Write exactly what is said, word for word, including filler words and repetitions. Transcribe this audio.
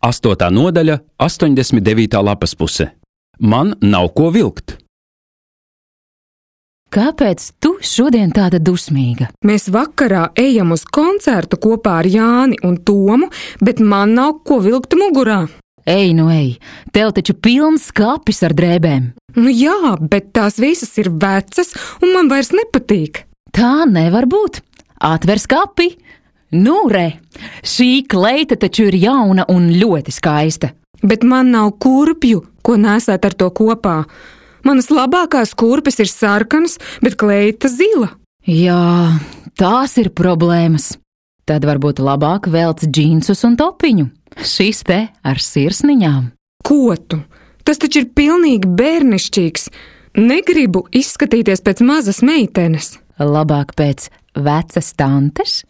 Astotā nodaļa, astoņdesmit devītā lapas puse. Man nav ko vilkt. Kāpēc tu šodien tāda dusmīga? Mēs vakarā ejam uz koncertu kopā ar Jāni un Tomu, bet man nav ko vilkt mugurā. Ej, nu ej, tev taču pilns skapis ar drēbēm. Nu jā, bet tās visas ir vecas un man vairs nepatīk. Tā nevar būt. Atver skapi. Nu, re, šī kleita taču ir jauna un ļoti skaista. Bet man nav kurpju, ko nesāt ar to kopā. Manas labākās kurpes ir sarkanas, bet kleita zila. Jā, tās ir problēmas. Tad varbūt labāk velc džinsus un topiņu. Šis te ar sirsniņām. Ko tu? Tas taču ir pilnīgi bērnišķīgs. Negribu izskatīties pēc mazas meitenes. Labāk pēc vecas tantes?